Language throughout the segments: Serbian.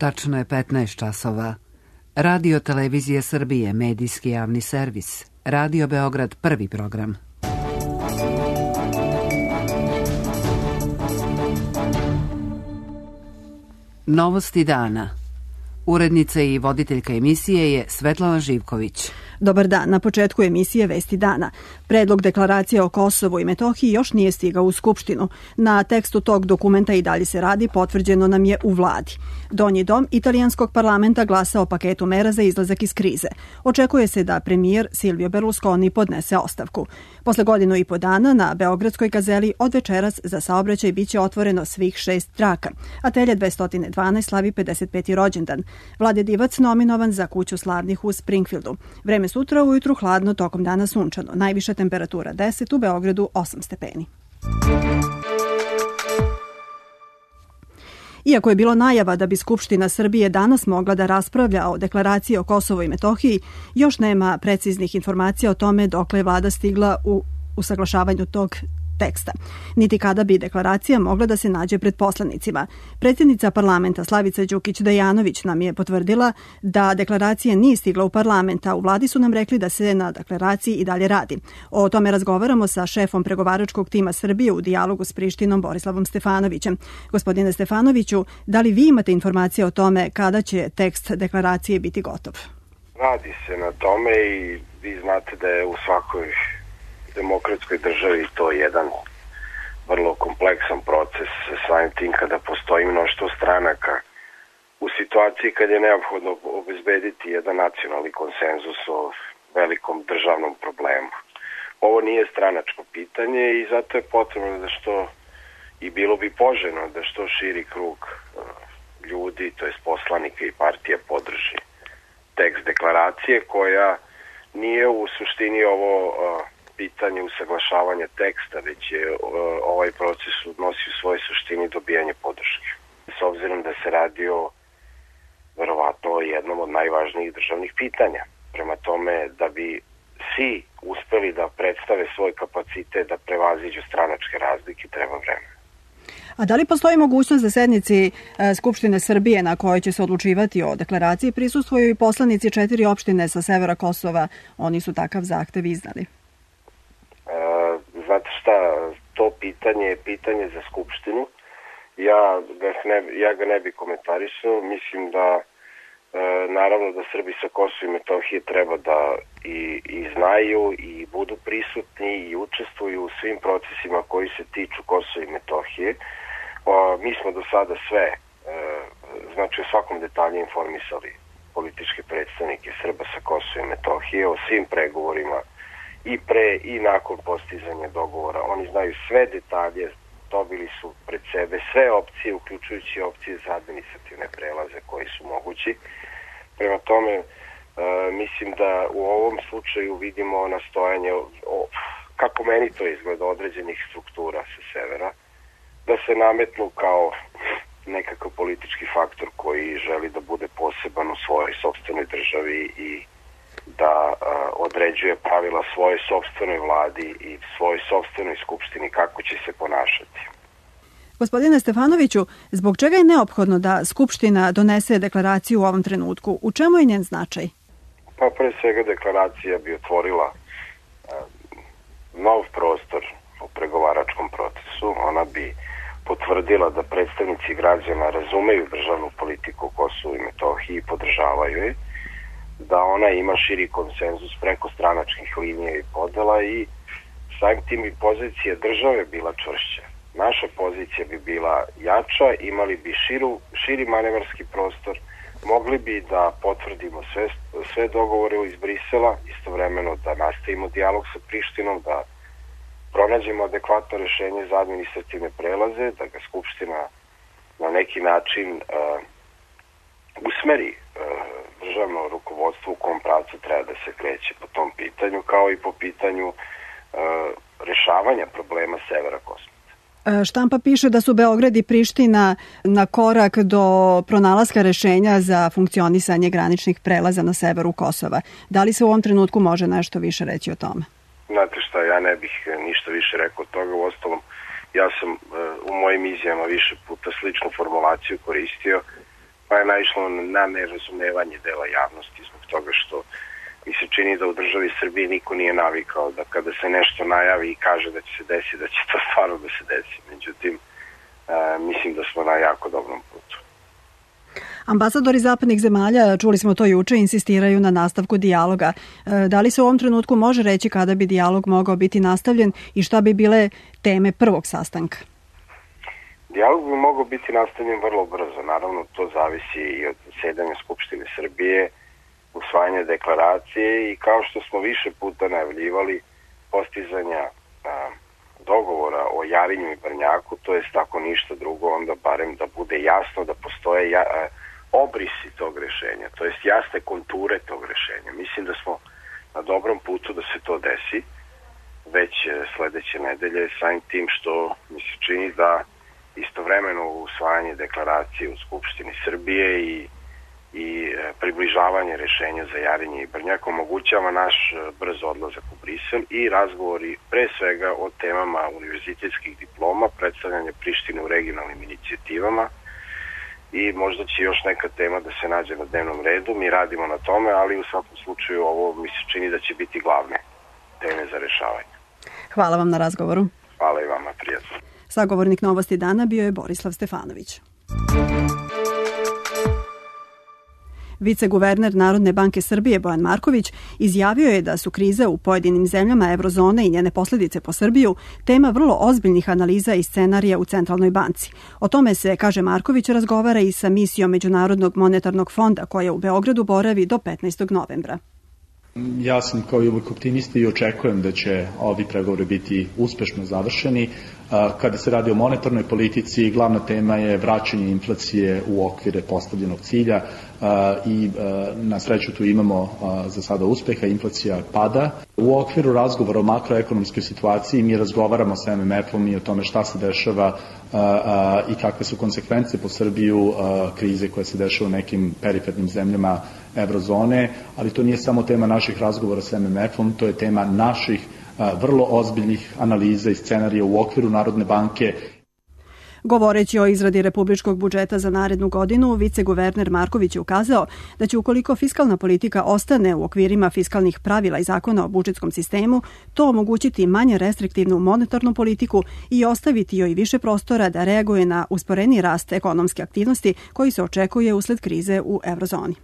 Tačno je 15 časova. Radio Televizije Srbije, medijski javni servis. Radio Beograd, prvi program. Novosti dana. Urednica i voditeljka emisije je Svetlana Živković. Dobar dan, na početku emisije Vesti dana. Predlog deklaracije o Kosovu i Metohiji još nije stigao u Skupštinu. Na tekstu tog dokumenta i dalje se radi, potvrđeno nam je u vladi. Donji dom italijanskog parlamenta glasa o paketu mera za izlazak iz krize. Očekuje se da premijer Silvio Berlusconi podnese ostavku. Posle godinu i po dana na Beogradskoj gazeli od večeras za saobraćaj biće otvoreno svih 6 traka. Atelje 212 slavi 55. rođendan. Vlade Divac nominovan za kuću slavnih u Springfieldu. Vreme sutra ujutru hladno, tokom dana sunčano. Najviša temperatura 10, u Beogradu 8 stepeni. Iako je bilo najava da bi Skupština Srbije danas mogla da raspravlja o deklaraciji o Kosovu i Metohiji, još nema preciznih informacija o tome dokle je vlada stigla u usaglašavanju tog teksta, niti kada bi deklaracija mogla da se nađe pred poslanicima. Predsjednica parlamenta Slavica Đukić-Dejanović nam je potvrdila da deklaracija nije stigla u parlament, a u vladi su nam rekli da se na deklaraciji i dalje radi. O tome razgovaramo sa šefom pregovaračkog tima Srbije u dijalogu s Prištinom Borislavom Stefanovićem. Gospodine Stefanoviću, da li vi imate informacije o tome kada će tekst deklaracije biti gotov? Radi se na tome i vi znate da je u svakoj demokratskoj državi to jedan vrlo kompleksan proces, samim tim kada postoji mnoštvo stranaka u situaciji kad je neophodno obezbediti jedan nacionalni konsenzus o velikom državnom problemu. Ovo nije stranačko pitanje i zato je potrebno da što, i bilo bi poželjno da što širi krug ljudi, to jest poslanika i partija, podrži tekst deklaracije, koja nije u suštini ovo pitanje usaglašavanja teksta, već je ovaj proces odnosi u svojoj suštini dobijanje podrške. S obzirom da se radi o verovatno jednom od najvažnijih državnih pitanja. Prema tome, da bi svi uspeli da predstave svoj kapacitet da prevaziđu stranačke razlike, treba vremena. A da li postoji mogućnost da sednici Skupštine Srbije na kojoj će se odlučivati o deklaraciji prisustvuju i poslanici 4 opštine sa severa Kosova? Oni su takav zahtev iznali. Znate šta, to pitanje je pitanje za Skupštinu. Ja ga ne bi komentarisao. Mislim da naravno da Srbi sa Kosova i Metohije treba da i znaju i budu prisutni i učestvuju u svim procesima koji se tiču Kosova i Metohije. Mi smo do sada sve, znači u svakom detalju informisali političke predstavnike Srba sa Kosova i Metohije o svim pregovorima i pre i nakon postizanja dogovora. Oni znaju sve detalje, dobili su pred sebe sve opcije, uključujući opcije za administrativne prelaze koji su mogući. Prema tome, mislim da u ovom slučaju vidimo nastojanje, kako meni to izgleda, određenih struktura sa severa, da se nametnu kao nekakav politički faktor koji želi da bude poseban u svojoj sopstvenoj državi i da određuje pravila svoje sopstvenoj vladi i svojoj sopstvenoj skupštini kako će se ponašati. Gospodine Stefanoviću, zbog čega je neophodno da Skupština donese deklaraciju u ovom trenutku? U čemu je njen značaj? Pa pre svega deklaracija bi otvorila nov prostor u pregovaračkom procesu. Ona bi potvrdila da predstavnici građana razumeju državnu politiku Kosovu i Metohiji i podržavaju je, da ona ima širi konsenzus preko stranačkih linija i podela i samim tim i pozicija države bila čvršća. Naša pozicija bi bila jača, imali bi širi manevarski prostor, mogli bi da potvrdimo sve dogovore iz Brisela, istovremeno da nastavimo dijalog sa Prištinom, da pronađemo adekvatno rešenje za administrativne prelaze, da ga Skupština na neki način usmeri državno rukovodstvo u kom pravcu treba da se kreće po tom pitanju, kao i po pitanju rešavanja problema severa Kosova. Štampa piše da su Beograd i Priština na korak do pronalaska rešenja za funkcionisanje graničnih prelaza na severu Kosova. Da li se u ovom trenutku može nešto više reći o tome? Znate šta, ja ne bih ništa više rekao od toga. Uostalom, ja sam u mojim izjavama više puta sličnu formulaciju koristio, pa je naišlo na nerazumevanje dela javnosti zbog toga što mi se čini da u državi Srbije niko nije navikao da kada se nešto najavi i kaže da će se desiti, da će to stvarno da se desi. Međutim, mislim da smo na jako dobrom putu. Ambasadori zapadnih zemalja, čuli smo to juče, insistiraju na nastavku dijaloga. Da li se u ovom trenutku može reći kada bi dijalog mogao biti nastavljen i šta bi bile teme prvog sastanka? Dijalog bi mogao biti nastavljen vrlo brzo. Naravno, to zavisi i od zasedanja Skupštine Srbije, usvajanja deklaracije i kao što smo više puta najavljivali, postizanja dogovora o Jarinju i Brnjaku, to jest ako ništa drugo, onda barem da bude jasno da postoje obrisi tog rešenja, to jest jasne konture tog rešenja. Mislim da smo na dobrom putu da se to desi već sledeće nedelje, samim tim što mi se čini da istovremeno usvajanje deklaracije u Skupštini Srbije i približavanje rešenja za Jarinje i Brnjak omogućava naš brz odlazak u Brisel i razgovori pre svega o temama univerzitetskih diploma, predstavljanje Prištine u regionalnim inicijativama i možda će još neka tema da se nađe na dnevnom redu. Mi radimo na tome, ali u svakom slučaju ovo mi se čini da će biti glavne teme za rešavanje. Hvala vam na razgovoru. Hvala i vama, prijatno. Sagovornik Novosti dana bio je Borislav Stefanović. Viceguverner Narodne banke Srbije Bojan Marković izjavio je da su krize u pojedinim zemljama eurozone i njene posljedice po Srbiju tema vrlo ozbiljnih analiza i scenarija u Centralnoj banci. O tome se, kaže Marković, razgovara i sa misijom Međunarodnog monetarnog fonda koja u Beogradu boravi do 15. novembra. Ja sam kao i uvijek optimista i očekujem da će ovi pregovori biti uspešno završeni. Kada se radi o monetarnoj politici, glavna tema je vraćanje inflacije u okvire postavljenog cilja i na sreću tu imamo za sada uspeha, inflacija pada. U okviru razgovora o makroekonomskoj situaciji mi razgovaramo sa MMF-om i o tome šta se dešava i kakve su konsekvence po Srbiju krize koje se dešava u nekim perifernim zemljama eurozone, ali to nije samo tema naših razgovora sa MMF-om, to je tema naših vrlo ozbiljnih analiza i scenarija u okviru Narodne banke. Govoreći o izradi republičkog budžeta za narednu godinu, viceguverner Marković je ukazao da će ukoliko fiskalna politika ostane u okvirima fiskalnih pravila i zakona o budžetskom sistemu, to omogućiti manje restriktivnu monetarnu politiku i ostaviti joj više prostora da reaguje na usporeni rast ekonomske aktivnosti koji se očekuje usled krize u eurozoni.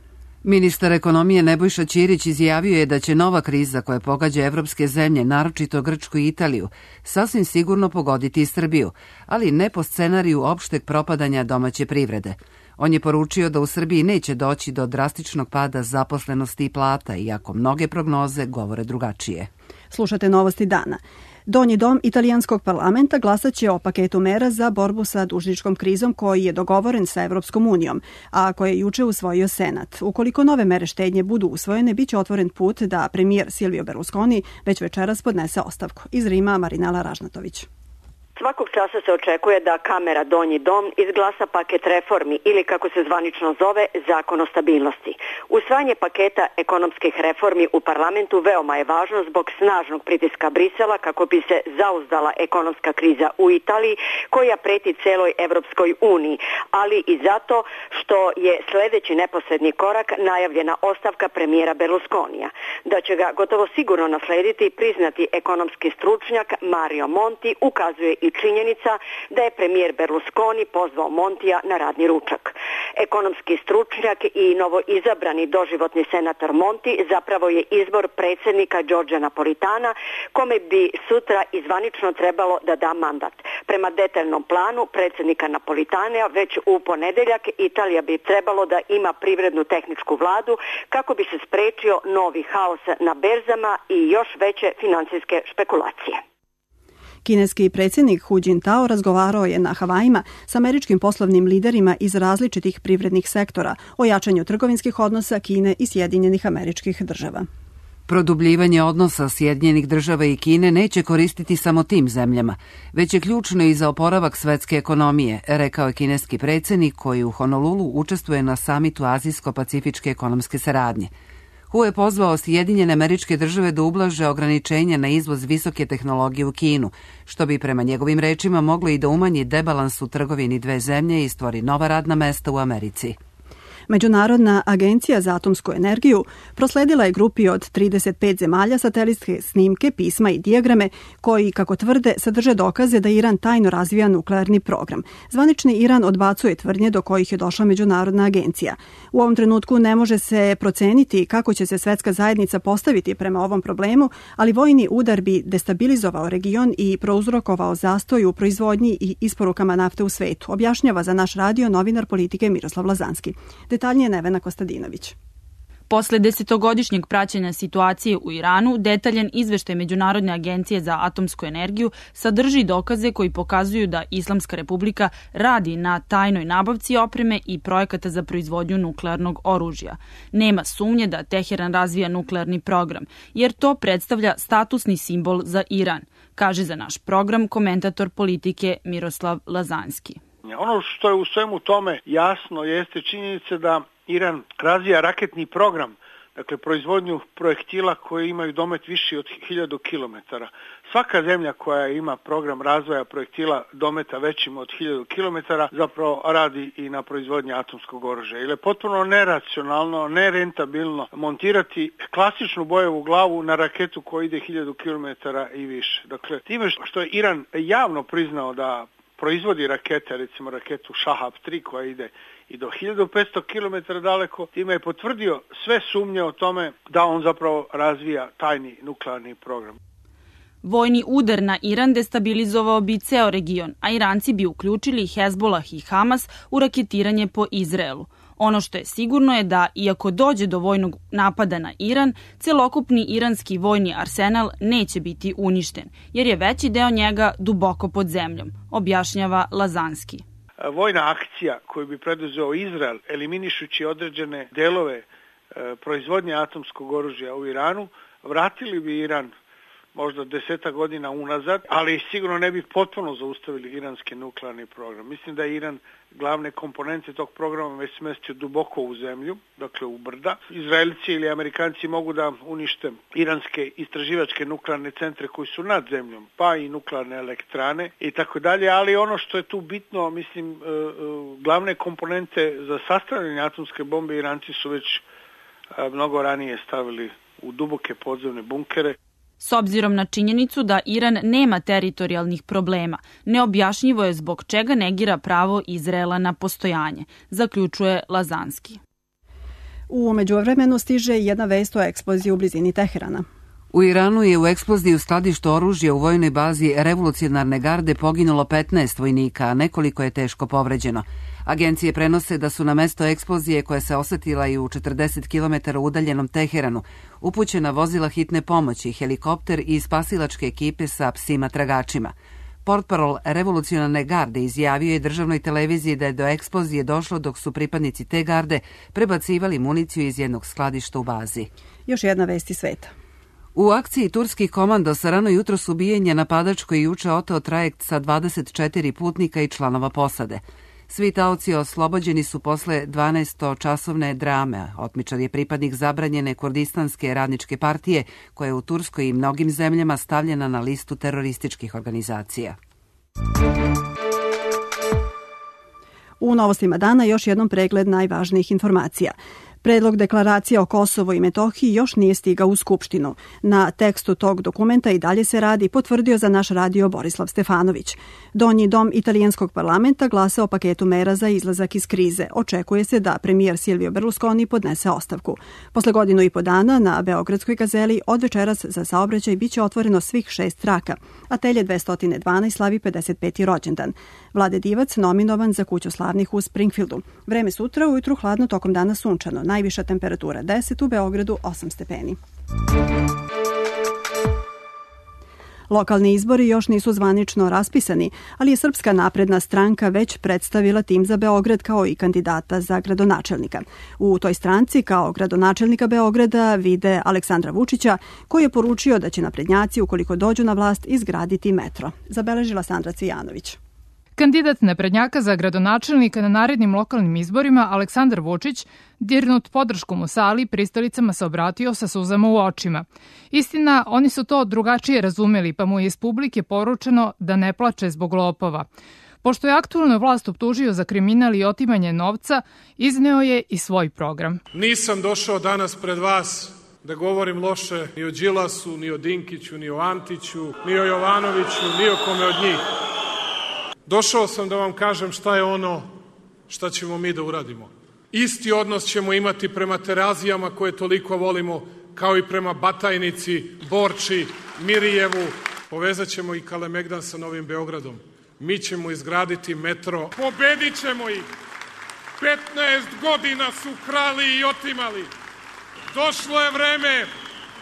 Ministar ekonomije Nebojša Ćirić izjavio je da će nova kriza koja pogađa evropske zemlje, naročito Grčku i Italiju, sasvim sigurno pogoditi i Srbiju, ali ne po scenariju opšteg propadanja domaće privrede. On je poručio da u Srbiji neće doći do drastičnog pada zaposlenosti i plata, iako mnoge prognoze govore drugačije. Slušate Novosti dana. Donji dom italijanskog parlamenta glasaće o paketu mera za borbu sa dužničkom krizom koji je dogovoren sa Evropskom unijom, a koje je juče usvojio Senat. Ukoliko nove mere štednje budu usvojene, biće otvoren put da premijer Silvio Berlusconi već večeras podnese ostavku. Iz Rima Marinela Ražnatović. Svakog časa se očekuje da Kamera Donji dom izglasa paket reformi ili, kako se zvanično zove, zakon o stabilnosti. Usvajanje paketa ekonomskih reformi u parlamentu veoma je važno zbog snažnog pritiska Brisela kako bi se zauzdala ekonomska kriza u Italiji koja preti celoj Evropskoj uniji, ali i zato što je sledeći neposredni korak najavljena ostavka premijera Berlusconija. Da će ga gotovo sigurno naslediti priznati ekonomski stručnjak Mario Monti ukazuje i činjenica da je premijer Berlusconi pozvao Montija na radni ručak. Ekonomski stručnjak i novoizabrani doživotni senator Monti zapravo je izbor predsjednika Đorđa Napolitana, kome bi sutra izvanično trebalo da da mandat. Prema detaljnom planu predsjednika Napolitana već u ponedeljak Italija bi trebalo da ima privrednu tehničku vladu kako bi se sprečio novi haos na berzama i još veće financijske špekulacije. Kineski predsjednik Hu Jintao razgovarao je na Havajima s američkim poslovnim liderima iz različitih privrednih sektora o jačanju trgovinskih odnosa Kine i Sjedinjenih Američkih Država. Produbljivanje odnosa Sjedinjenih Država i Kine neće koristiti samo tim zemljama, već je ključno i za oporavak svetske ekonomije, rekao je kineski predsjednik koji u Honolulu učestvuje na samitu Azijsko-pacifičke ekonomske saradnje. Hu je pozvao Sjedinjene Američke Države da ublaže ograničenja na izvoz visoke tehnologije u Kinu, što bi prema njegovim rečima moglo i da umanji debalans u trgovini dve zemlje i stvori nova radna mesta u Americi. Međunarodna agencija za atomsku energiju prosledila je grupi od 35 zemalja satelitske snimke, pisma i dijagrame koji, kako tvrde, sadrže dokaze da Iran tajno razvija nuklearni program. Zvanični Iran odbacuje tvrdnje do kojih je došla Međunarodna agencija. U ovom trenutku ne može se proceniti kako će se svetska zajednica postaviti prema ovom problemu, ali vojni udar bi destabilizovao region i prouzrokovao zastoj u proizvodnji i isporukama nafte u svetu, objašnjava za naš radio novinar politike Miroslav Lazanski. Detaljnije Nevena Kostadinović. Posle 10-godišnjeg praćenja situacije u Iranu, detaljan izveštaj Međunarodne agencije za atomsku energiju sadrži dokaze koji pokazuju da Islamska republika radi na tajnoj nabavci opreme i projekata za proizvodnju nuklearnog oružja. Nema sumnje da Teheran razvija nuklearni program, jer to predstavlja statusni simbol za Iran, kaže za naš program komentator politike Miroslav Lazanski. Ono što je u svemu tome jasno jeste činjenica da Iran razvija raketni program, dakle proizvodnju projektila koji imaju domet viši od 1000 km. Svaka zemlja koja ima program razvoja projektila dometa većim od 1000 km zapravo radi i na proizvodnji atomskog oružja. Ili je potpuno neracionalno, nerentabilno montirati klasičnu bojevu glavu na raketu koja ide 1000 km i više. Dakle, time što je Iran javno priznao da proizvodi rakete, recimo raketu Shahab 3 koja ide i do 1500 km daleko, time je potvrdio sve sumnje o tome da on zapravo razvija tajni nuklearni program. Vojni udar na Iran destabilizovao bi ceo region, a Iranci bi uključili Hezbollah i Hamas u raketiranje po Izraelu. Ono što je sigurno je da, iako dođe do vojnog napada na Iran, celokupni iranski vojni arsenal neće biti uništen, jer je veći deo njega duboko pod zemljom, objašnjava Lazanski. Vojna akcija koju bi preduzeo Izrael, eliminišući određene delove proizvodnje atomskog oružja u Iranu, vratili bi Iran možda 10 godina unazad, ali sigurno ne bi potpuno zaustavili iranski nuklearni program. Mislim da je Iran glavne komponente tog programa već smestio duboko u zemlju, dakle u brda. Izraelci ili Amerikanci mogu da unište iranske istraživačke nuklearne centre koji su nad zemljom, pa i nuklearne elektrane i tako dalje, ali ono što je tu bitno, mislim, glavne komponente za sastavljanje atomske bombe Iranci su već mnogo ranije stavili u duboke podzemne bunkere. S obzirom na činjenicu da Iran nema teritorijalnih problema, neobjašnjivo je zbog čega negira pravo Izraela na postojanje, zaključuje Lazanski. U međuvremenu stiže jedna vest o eksploziji u blizini Teherana. U Iranu je u eksploziji u skladištu oružja u vojnoj bazi Revolucionarne garde poginulo 15 vojnika, a nekoliko je teško povređeno. Agencije prenose da su na mesto eksplozije koja se osetila i u 40 km udaljenom Teheranu upućena vozila hitne pomoći, helikopter i spasilačke ekipe sa psima tragačima. Portparol Revolucionarne garde izjavio je državnoj televiziji da je do eksplozije došlo dok su pripadnici te garde prebacivali municiju iz jednog skladišta u bazi. Još jedna vest iz sveta. U akciji turskih komandosa rano jutros ubijen je napadač koji juče oteo trajekt sa 24 putnika i članova posade. Svi taoci oslobođeni su posle 12-časovne drame. Otmičar je pripadnik zabranjene Kurdistanske radničke partije, koja je u Turskoj i mnogim zemljama stavljena na listu terorističkih organizacija. U novostima dana još jednom pregled najvažnijih informacija. Predlog deklaracije o Kosovu i Metohiji još nije stigao u Skupštinu. Na tekstu tog dokumenta i dalje se radi, potvrdio za naš radio Borislav Stefanović. Donji dom italijanskog parlamenta glasa o paketu mera za izlazak iz krize. Očekuje se da premijer Silvio Berlusconi podnese ostavku. Posle 1,5 dana na Beogradskoj gazeli od večeras za saobraćaj biće otvoreno svih 6 traka. Atelje 212 slavi 55. rođendan. Vlade Divac nominovan za kuću slavnih u Springfieldu. Vreme sutra, ujutru hladno, tokom dana sunčano. Najviša temperatura 10, u Beogradu 8 stepeni. Lokalni izbori još nisu zvanično raspisani, ali je Srpska napredna stranka već predstavila tim za Beograd kao i kandidata za gradonačelnika. U toj stranci kao gradonačelnika Beograda vide Aleksandra Vučića, koji je poručio da će naprednjaci, ukoliko dođu na vlast, izgraditi metro. Zabeležila Sandra Cvijanović. Kandidat naprednjaka za gradonačelnika na narednim lokalnim izborima, Aleksandar Vučić, dirnut podrškom u sali, pristalicama se obratio sa suzama u očima. Istina, oni su to drugačije razumeli, pa mu je iz publike poručeno da ne plače zbog lopova. Pošto je aktualnu vlast optužio za kriminal i otimanje novca, izneo je i svoj program. Nisam došao danas pred vas da govorim loše ni o Đilasu, ni o Dinkiću, ni o Antiću, ni o Jovanoviću, ni o kome od njih. Došao sam da vam kažem šta je ono šta ćemo mi da uradimo. Isti odnos ćemo imati prema Terazijama koje toliko volimo, kao i prema Batajnici, Borči, Mirijevu. Povezat ćemo i Kalemegdan sa Novim Beogradom. Mi ćemo izgraditi metro. Pobedit ćemo ih. 15 godina su krali i otimali. Došlo je vreme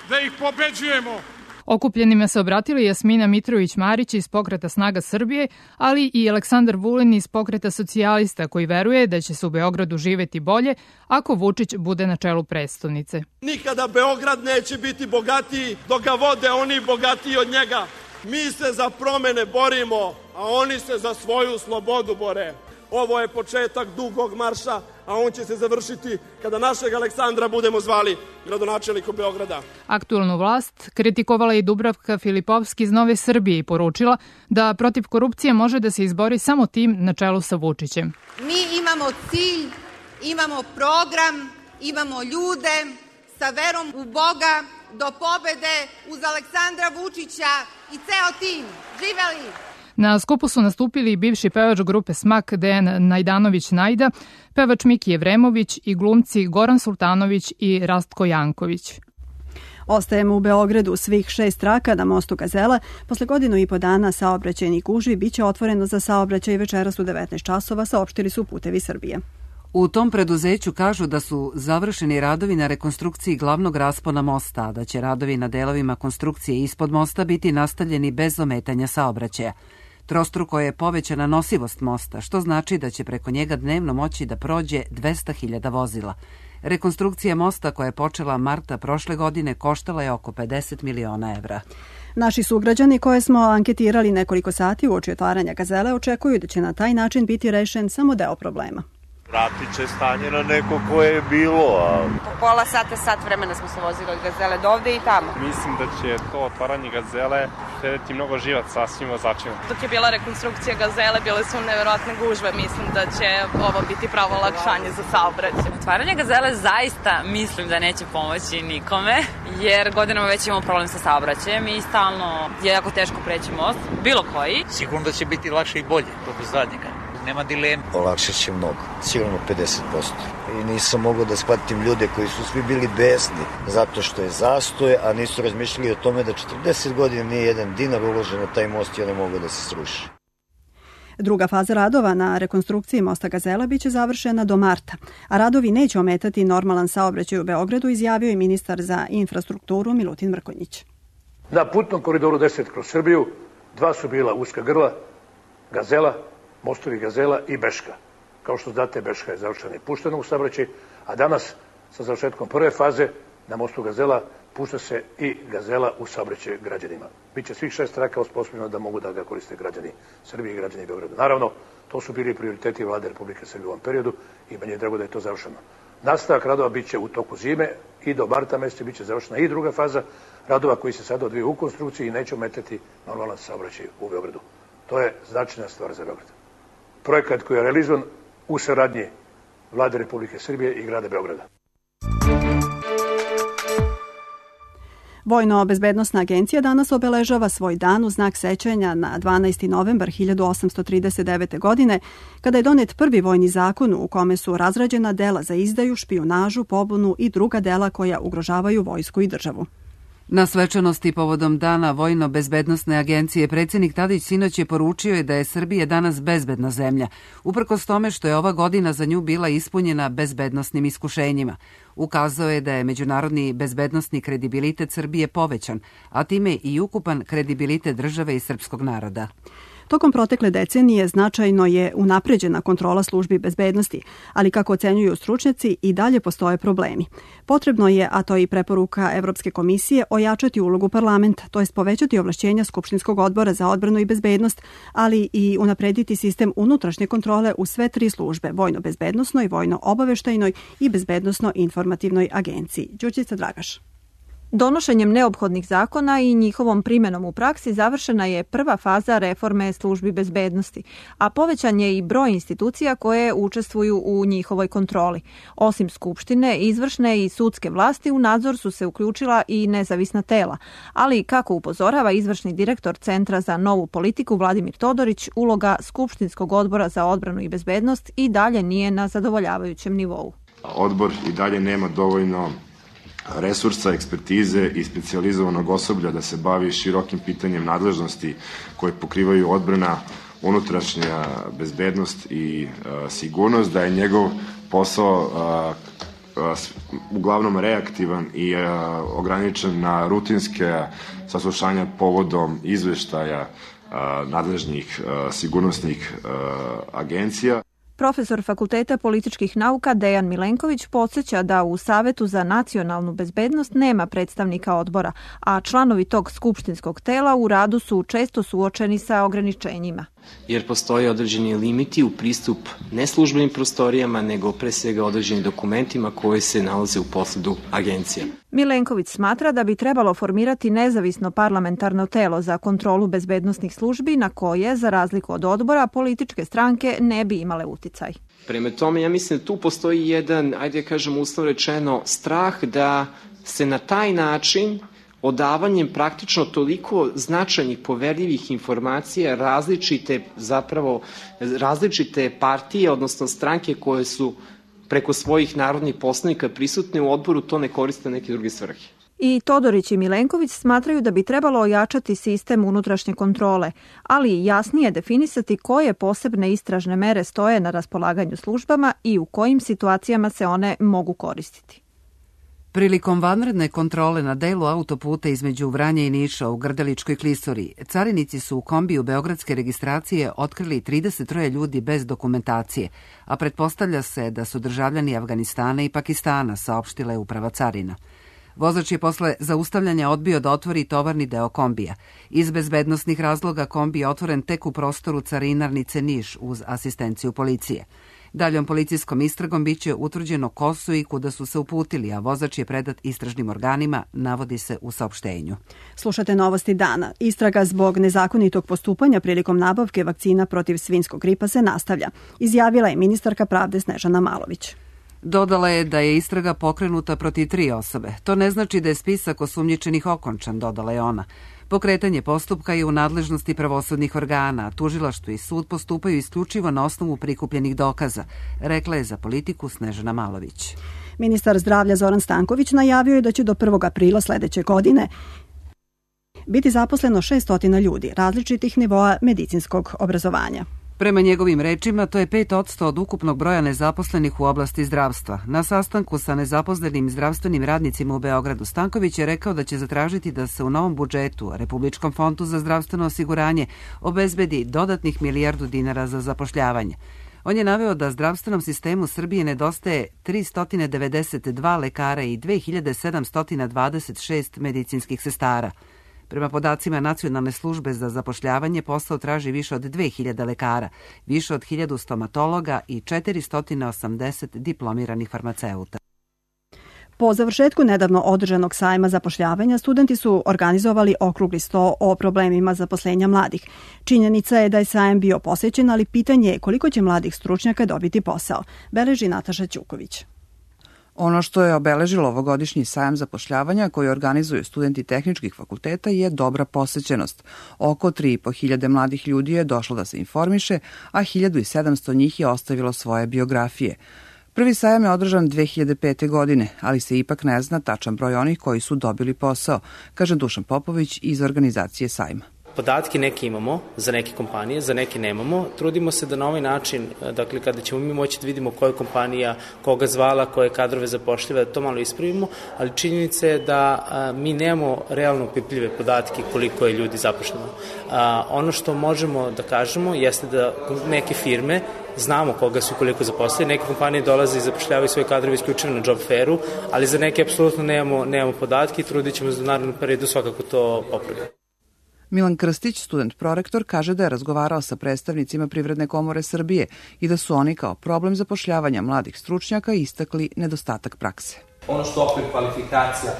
da ih pobeđujemo. Okupljenima se obratili Jasmina Mitrović-Marić iz Pokreta Snaga Srbije, ali i Aleksandar Vulin iz Pokreta Socijalista, koji veruje da će se u Beogradu živeti bolje ako Vučić bude na čelu prestonice. Nikada Beograd neće biti bogatiji dok ga vode oni bogatiji od njega. Mi se za promene borimo, a oni se za svoju slobodu bore. Ovo je početak dugog marša, a on će se završiti kada našeg Aleksandra budemo zvali gradonačelnikom Beograda. Aktualnu vlast kritikovala i Dubravka Filipovski iz Nove Srbije i poručila da protiv korupcije može da se izbori samo tim na čelu sa Vučićem. Mi imamo cilj, imamo program, imamo ljude sa verom u Boga do pobede uz Aleksandra Vučića i ceo tim. Živeli! Na skupu su nastupili i bivši pevač grupe Smak Dejan Najdanović-Najda, pevač Miki Jevremović i glumci Goran Sultanović i Rastko Janković. Ostajemo u Beogradu. Svih 6 traka na mostu Gazela posle godinu i po dana saobraćajnih gužvi biće otvoreno za saobraćaj večeras u 19 časova, saopštili su Putevi Srbije. U tom preduzeću kažu da su završeni radovi na rekonstrukciji glavnog raspona mosta, a da će radovi na delovima konstrukcije ispod mosta biti nastavljeni bez ometanja saobraćaja. Trostruko je povećana nosivost mosta, što znači da će preko njega dnevno moći da prođe 200.000 vozila. Rekonstrukcija mosta koja je počela marta prošle godine koštala je oko 50 miliona evra. Naši sugrađani koje smo anketirali nekoliko sati uoči otvaranja Gazele očekuju da će na taj način biti rešen samo deo problema. Vratit će stanje na neko koje je bilo. Po pola sata, sat vremena smo se vozili od Gazele do ovde i tamo. Mislim da će to otvaranje Gazele štediti mnogo živaca svim vozačima. Dok je bila rekonstrukcija Gazele, bile su neverovatne gužve. Mislim da će ovo biti pravo olakšanje za saobraćaj. Otvaranje Gazele zaista mislim da neće pomoći nikome, jer godinama već imamo problem sa saobraćajem i stalno je jako teško preći most, bilo koji. Sigurno da će biti lakše i bolje, to bez zadnjega. Nema dilema. Olakšat će mnogo, sigurno 50%. I nisam mogao da shvatim ljude koji su svi bili besni zato što je zastoj, a nisu razmišljali o tome da 40 godina nije jedan dinar uložen na taj most i on je mogao da se sruši. Druga faza radova na rekonstrukciji mosta Gazela biće završena do marta, a radovi neće ometati normalan saobraćaj u Beogradu, izjavio je ministar za infrastrukturu Milutin Mrkonjić. Na putnom koridoru 10 kroz Srbiju 2 su bila uska grla, Gazela, mostovi Gazela i Beška. Kao što znate, Beška je završena i puštena u saobraćaj, a danas sa završetkom prve faze na mostu Gazela pušta se i Gazela u saobraćaj građanima. Biće svih 6 traka osposobljeno da mogu da ga koriste građani Srbije i građani Beograda. Naravno, to su bili prioriteti vlade Republike Srbije u ovom periodu i meni je drago da je to završeno. Nastavak radova biće u toku zime i do marta meseca biće završena i druga faza radova koji se sada odvijaju u konstrukciji i neće ometati normalan saobraćaj u Beogradu. To je značajna stvar za Beograd. Projekat koji je realizovan u saradnji vlade Republike Srbije i grada Beograda. Vojno-bezbednosna agencija danas obeležava svoj dan u znak sećanja na 12. novembar 1839. godine, kada je donet prvi vojni zakon u kome su razrađena dela za izdaju, špijunažu, pobunu i druga dela koja ugrožavaju vojsku i državu. Na svečanosti povodom dana Vojno-bezbednosne agencije predsjednik Tadić sinoć je poručio da je Srbija danas bezbedna zemlja, uprkos tome što je ova godina za nju bila ispunjena bezbednosnim iskušenjima. Ukazao je da je međunarodni bezbednosni kredibilitet Srbije povećan, a time i ukupan kredibilitet države i srpskog naroda. Tokom protekle decenije značajno je unapređena kontrola službi bezbednosti, ali kako ocenjuju stručnjaci i dalje postoje problemi. Potrebno je, a to je i preporuka Evropske komisije, ojačati ulogu parlamenta, to jest povećati ovlašćenja Skupštinskog odbora za odbranu i bezbednost, ali i unaprediti sistem unutrašnje kontrole u sve 3 službe, vojno-bezbednosnoj, vojno-obaveštajnoj i bezbednosno-informativnoj agenciji. Đurđica Dragaš. Donošenjem neophodnih zakona i njihovom primjenom u praksi završena je prva faza reforme službi bezbednosti, a povećan je i broj institucija koje učestvuju u njihovoj kontroli. Osim Skupštine, izvršne i sudske vlasti u nadzor su se uključila i nezavisna tela, ali kako upozorava izvršni direktor Centra za novu politiku Vladimir Todorić, uloga Skupštinskog odbora za odbranu i bezbednost i dalje nije na zadovoljavajućem nivou. Odbor i dalje nema dovoljno resursa, ekspertize i specijalizovanog osoblja da se bavi širokim pitanjem nadležnosti koje pokrivaju odbrana, unutrašnja bezbednost i sigurnost, da je njegov posao uglavnom reaktivan i ograničen na rutinske saslušanja povodom izveštaja nadležnih sigurnosnih agencija. Profesor Fakulteta političkih nauka Dejan Milenković podsjeća da u Savetu za nacionalnu bezbednost nema predstavnika odbora, a članovi tog skupštinskog tela u radu su često suočeni sa ograničenjima. Jer postoje određeni limiti u pristup ne službenim prostorijama, nego pre svega određenim dokumentima koji se nalaze u posedu agencija. Milenković smatra da bi trebalo formirati nezavisno parlamentarno telo za kontrolu bezbednosnih službi na koje, za razliku od odbora, političke stranke ne bi imale uticaj. Prema tome, ja mislim da tu postoji jedan, ajde da kažem uslovno rečeno, strah da se na taj način odavanjem praktično toliko značajnih poverljivih informacija različite partije, odnosno stranke koje su preko svojih narodnih poslanika prisutne u odboru, to ne koriste neke druge svrhe. I Todorić i Milenković smatraju da bi trebalo ojačati sistem unutrašnje kontrole, ali i jasnije definisati koje posebne istražne mere stoje na raspolaganju službama i u kojim situacijama se one mogu koristiti. Prilikom vanredne kontrole na delu autoputa između Vranja i Niša u Grdeličkoj klisuri, carinici su u kombiju beogradske registracije otkrili 33 ljudi bez dokumentacije, a pretpostavlja se da su državljani Afganistana i Pakistana, saopštila Uprava carina. Vozač je posle zaustavljanja odbio da otvori tovarni deo kombija. Iz bezbednosnih razloga kombi je otvoren tek u prostoru carinarnice Niš uz asistenciju policije. Daljom policijskom istragom biće utvrđeno ko su i kuda su se uputili, a vozač je predat istražnim organima, navodi se u saopštenju. Slušate novosti dana. Istraga zbog nezakonitog postupanja prilikom nabavke vakcina protiv svinjskog gripa se nastavlja, izjavila je ministarka pravde Snežana Malović. Dodala je da je istraga pokrenuta protiv 3 osobe. To ne znači da je spisak osumnjičenih okončan, dodala je ona. Pokretanje postupka je u nadležnosti pravosudnih organa, a tužilaštvo i sud postupaju isključivo na osnovu prikupljenih dokaza, rekla je za Politiku Snežana Malović. Ministar zdravlja Zoran Stanković najavio je da će do 1. aprila sledeće godine biti zaposleno 600 ljudi različitih nivoa medicinskog obrazovanja. Prema njegovim rečima, to je 5% od ukupnog broja nezaposlenih u oblasti zdravstva. Na sastanku sa nezaposlenim zdravstvenim radnicima u Beogradu Stanković je rekao da će zatražiti da se u novom budžetu, Republičkom fondu za zdravstveno osiguranje, obezbedi dodatnih milijardu dinara za zapošljavanje. On je naveo da zdravstvenom sistemu Srbije nedostaje 392 lekara i 2726 medicinskih sestara. Prema podacima Nacionalne službe za zapošljavanje, posao traži više od 2000 lekara, više od 1000 stomatologa i 480 diplomiranih farmaceuta. Po završetku nedavno održanog sajma zapošljavanja, studenti su organizovali okrugli sto o problemima zaposlenja mladih. Činjenica je da je sajam bio posećen, ali pitanje je koliko će mladih stručnjaka dobiti posao, beleži Nataša Ćuković. Ono što je obeležilo ovogodišnji sajam zapošljavanja koji organizuju studenti tehničkih fakulteta je dobra posećenost. Oko 3.500 mladih ljudi je došlo da se informiše, a 1700 njih je ostavilo svoje biografije. Prvi sajam je održan 2005. godine, ali se ipak ne zna tačan broj onih koji su dobili posao, kaže Dušan Popović iz organizacije sajma. Podatke neke imamo za neke kompanije, za neke nemamo. Trudimo se da na ovaj način, dakle kada ćemo mi moći da vidimo koja je kompanija, koga zvala, koje kadrove zapošljiva, da to malo ispravimo, ali činjenica je da mi nemamo realno pipljive podatke koliko je ljudi zapošljeno. Ono što možemo da kažemo jeste da neke firme znamo koga su koliko zaposlili, neke kompanije dolaze i zapošljavaju svoje kadrove isključivo na job fairu, ali za neke apsolutno nemamo podatke i trudit ćemo se da u narednom periodu svakako to popravimo. Milan Krstić, student prorektor, kaže da je razgovarao sa predstavnicima Privredne komore Srbije i da su oni kao problem zapošljavanja mladih stručnjaka istakli nedostatak prakse. ono što okvir kvalifikacija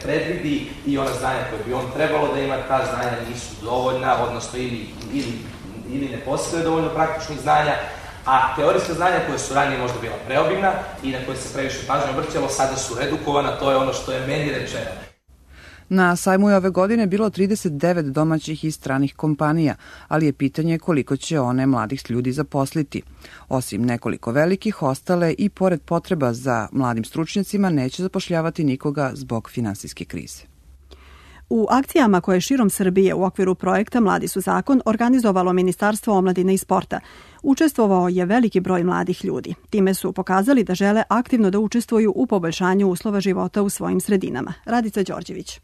predvidi i ona znanja koje bi on trebalo da ima, ta znanja nisu dovoljna, odnosno ili ne posjeduje dovoljno praktičnih znanja, a teorijska znanja koje su ranije možda bila preobimna i na koje se previše pažnje obrćalo, sada su redukovana, to je ono što je meni rečeno. Na sajmu je ove godine bilo 39 domaćih i stranih kompanija, ali je pitanje koliko će one mladih ljudi zaposliti. Osim nekoliko velikih, ostale i pored potreba za mladim stručnjacima neće zapošljavati nikoga zbog finansijske krize. U akcijama koje širom Srbije u okviru projekta Mladi su zakon organizovalo Ministarstvo omladine i sporta, učestvovao je veliki broj mladih ljudi. Time su pokazali da žele aktivno da učestvuju u poboljšanju uslova života u svojim sredinama. Radica Đorđević.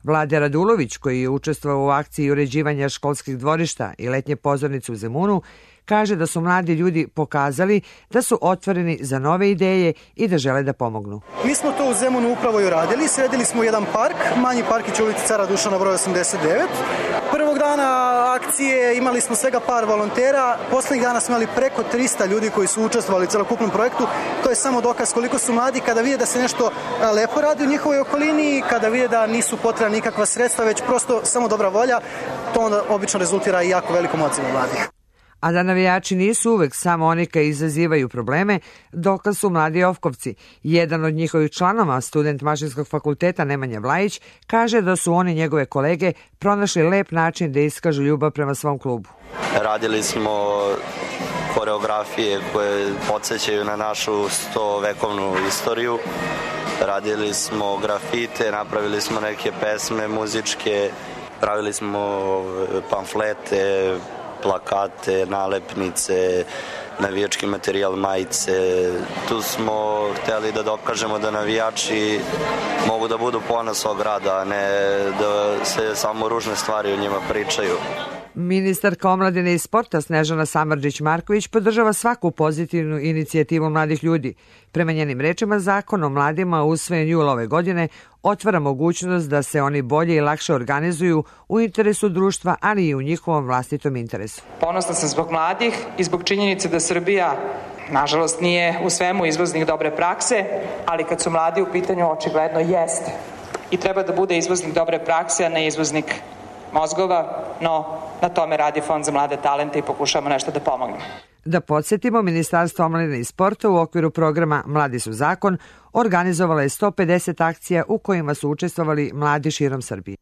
Vlada Radulović, koji je učestvovao u akciji uređivanja školskih dvorišta i letnje pozornice u Zemunu, kaže da su mladi ljudi pokazali da su otvoreni za nove ideje i da žele da pomognu. Mi smo to u Zemunu upravo i uradili. Sredili smo jedan park, manji parkić u ulici Cara Dušana broj 89. Prvog dana akcije imali smo svega par volontera. Poslednjih dana smo imali preko 300 ljudi koji su učestvovali u celokupnom projektu. To je samo dokaz koliko su mladi kada vide da se nešto lepo radi u njihovoj okolini, kada vide da nisu potrebna nikakva sredstva, već prosto samo dobra volja. To onda obično rezultira i jako velikom odzivom mladih. A da navijači nisu uvek samo oni koji izazivaju probleme, dokaz su mladi Ofkovci. Jedan od njihovih članova, student Mašinskog fakulteta Nemanja Vlajić, kaže da su oni njegove kolege pronašli lep način da iskažu ljubav prema svom klubu. Radili smo koreografije koje podsjećaju na našu 100-vekovnu istoriju. Radili smo grafite, napravili smo neke pesme muzičke, pravili smo pamflete, plakate, nalepnice, navijački materijal, majice. Tu smo hteli da dokažemo da navijači mogu da budu ponos svog grada, a ne da se samo ružne stvari o njima pričaju. Ministarka omladine i sporta Snežana Samardžić-Marković podržava svaku pozitivnu inicijativu mladih ljudi. Prema njenim rečima, zakon o mladima usvojen jula ove godine otvara mogućnost da se oni bolje i lakše organizuju u interesu društva, ali i u njihovom vlastitom interesu. Ponosna sam zbog mladih i zbog činjenice da Srbija, nažalost, nije u svemu izvoznik dobre prakse, ali kad su mladi u pitanju, očigledno jeste. I treba da bude izvoznik dobre prakse, a ne izvoznik mozgova, no na tome radi Fond za mlade talente i pokušamo nešto da pomognemo. Da podsjetimo, Ministarstvo omladine i sporta u okviru programa Mladi su zakon organizovala je 150 akcija u kojima su učestvovali mladi širom Srbije.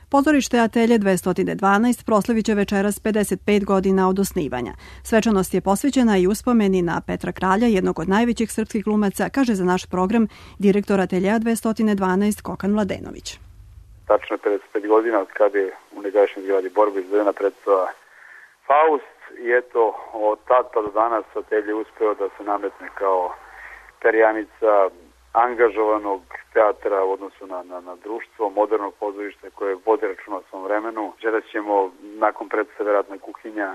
Pozorište Atelje 212 proslaviće večeras 55 godina od osnivanja. Svečanost je posvećena i uspomeni na Petra Kralja, jednog od najvećih srpskih glumaca, kaže za naš program direktor Atelja 212 Kokan Mladenović. Tačno 55 godina od kada je u negašnjoj zgradi borbe izvedena predstava Faust i eto od tad pa do danas Atelje uspeo da se nametne kao perjanica angažovanog teatra u odnosu na društvo, modernog pozorišta koje vodi računa o svom vremenu. Večeras ćemo nakon predstave Ratna kuhinja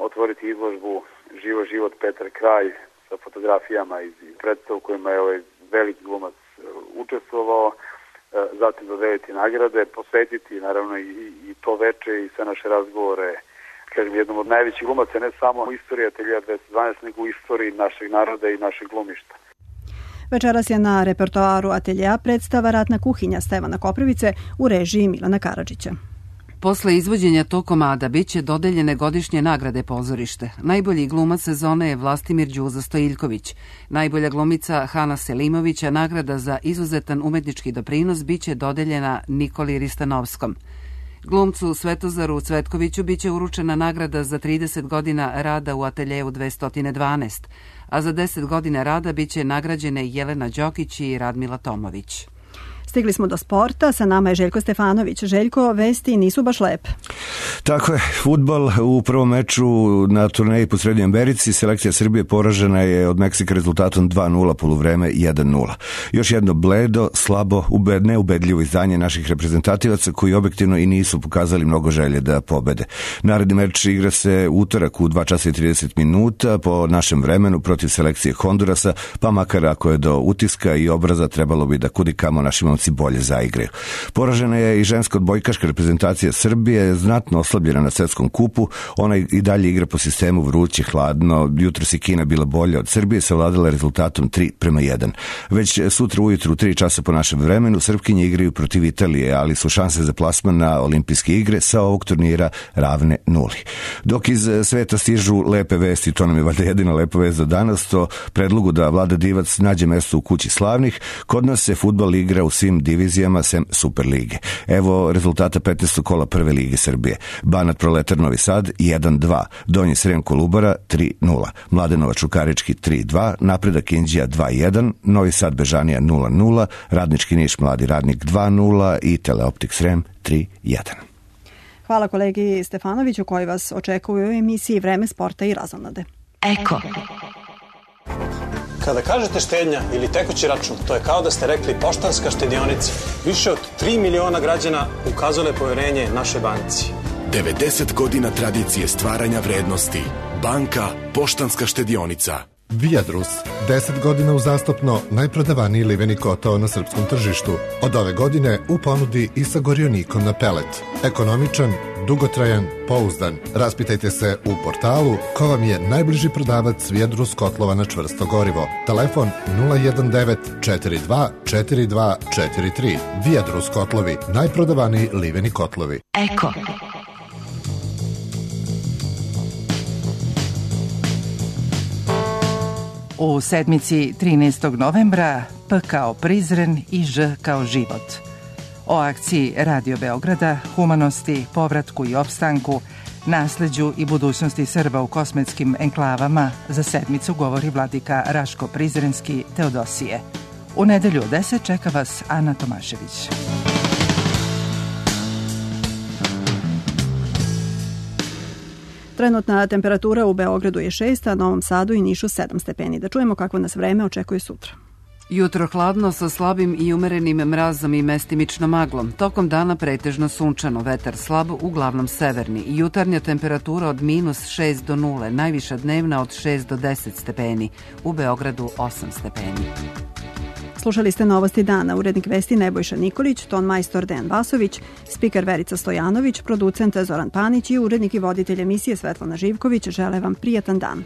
otvoriti izložbu Živo život Petar Kralj sa fotografijama iz predstava u kojima je ovaj veliki glumac učestvovao. Zatim dodeliti nagrade, posvetiti naravno i to veče i sve naše razgovore, kažem, jednom od najvećih glumaca, ne samo u istoriji Atelja 212, nego u istoriji našeg naroda i našeg glumišta. Večeras je na repertoaru Atelja predstava Ratna kuhinja Stevana Koprivice u režiji Milana Karadžića. Posle izvođenja tog komada biće dodeljene godišnje nagrade pozorište. Najbolji glumac sezone je Vlastimir Đuza Stojiljković. Najbolja glumica Hana Selimović, a nagrada za izuzetan umetnički doprinos biće dodeljena Nikoli Ristanovskom. Glumcu Svetozaru Cvetkoviću biće uručena nagrada za 30 godina rada u Ateljeu 212, a za 10 godina rada biće nagrađene Jelena Đokić i Radmila Tomović. Stigli smo do sporta, sa nama je Željko Stefanović. Željko, vesti nisu baš lepe. Tako je, fudbal u prvom meču na turneji po Srednjoj Americi, selekcija Srbije poražena je od Meksika rezultatom 2-0, poluvreme 1-0. Još jedno bledo, slabo, neubedljivo izdanje naših reprezentativaca koji objektivno i nisu pokazali mnogo želje da pobede. Naredni meč igra se utorak u 2 časa i 30 minuta po našem vremenu protiv selekcije Hondurasa, pa makar ako je do utiska i obraza trebalo bi da kudikamo našim momcima muškarci bolje zaigraju. Poražena je i ženska odbojkaška reprezentacija Srbije, znatno oslabljena na svetskom kupu. Ona i dalje igra po sistemu vruće, hladno. Jutros je Kina bila bolja od Srbije, savladala rezultatom 3:1. Već sutra ujutru u 3 časa po našem vremenu Srpkinje igraju protiv Italije, ali su šanse za plasman na olimpijske igre sa ovog turnira ravne 0. Dok iz sveta stižu lepe vesti, to nam je valjda jedina lepa vest za danas, to predlogu da Vlada Divac nađe mesto u kući slavnih, kod nas se fudbal igra u svim divizijama sem Super lige. Evo rezultata 15. kola Prve lige Srbije. Banat Proletar Novi Sad 1:2, Donji Srem Kolubara 3:0, Mladenova Čukarički 3:2, Napredak Inđija 2:1, Novi Sad Bežanija 0:0, Radnički Niš Mladi Radnik 2:0 i Teleoptik Srem 3:1. Hvala kolegi Stefanoviću koji vas očekuju u emisiji Vreme sporta i razonode. Eko. Kada kažete štednja ili tekući račun, to je kao da ste rekli Poštanska štedionica. Više od 3 miliona građana ukazalo je poverenje našoj banci. 90 godina tradicije stvaranja vrednosti. Banka Poštanska štedionica. Viadrus, 10 godina uzastopno najprodavaniji liveni kotao na srpskom tržištu. Od ove godine u ponudi i sa gorionikom na pelet. Ekonomičan, dugotrajan, pouzdan. Raspitajte se u portalu ko vam je najbliži prodavac Viadrus kotlova na čvrsto gorivo. Telefon 019 42 42 43. Viadrus kotlovi, najprodavaniji liveni kotlovi. Eko. U sedmici 13. novembra P kao Prizren i Ž kao život. O akciji Radio Beograda, humanosti, povratku i opstanku, nasleđu i budućnosti Srba u kosmetskim enklavama za sedmicu govori vladika Raško Prizrenski Teodosije. U nedelju u 10 čeka vas Ana Tomašević. Trenutna temperatura u Beogradu je 6, a Novom Sadu i Nišu 7 stepeni. Da čujemo kako nas vreme očekuje sutra. Jutro hladno sa slabim i umerenim mrazom i mestimično maglom. Tokom dana pretežno sunčano, vetar slab, uglavnom severni. Jutarnja temperatura od -6 do 0, najviša dnevna od 6 do 10 stepeni. U Beogradu 8 stepeni. Slušali ste novosti dana, urednik vesti Nebojša Nikolić, ton majstor Dejan Vasović, spiker Verica Stojanović, producent Zoran Panić i urednik i voditelj emisije Svetlana Živković žele vam prijatan dan.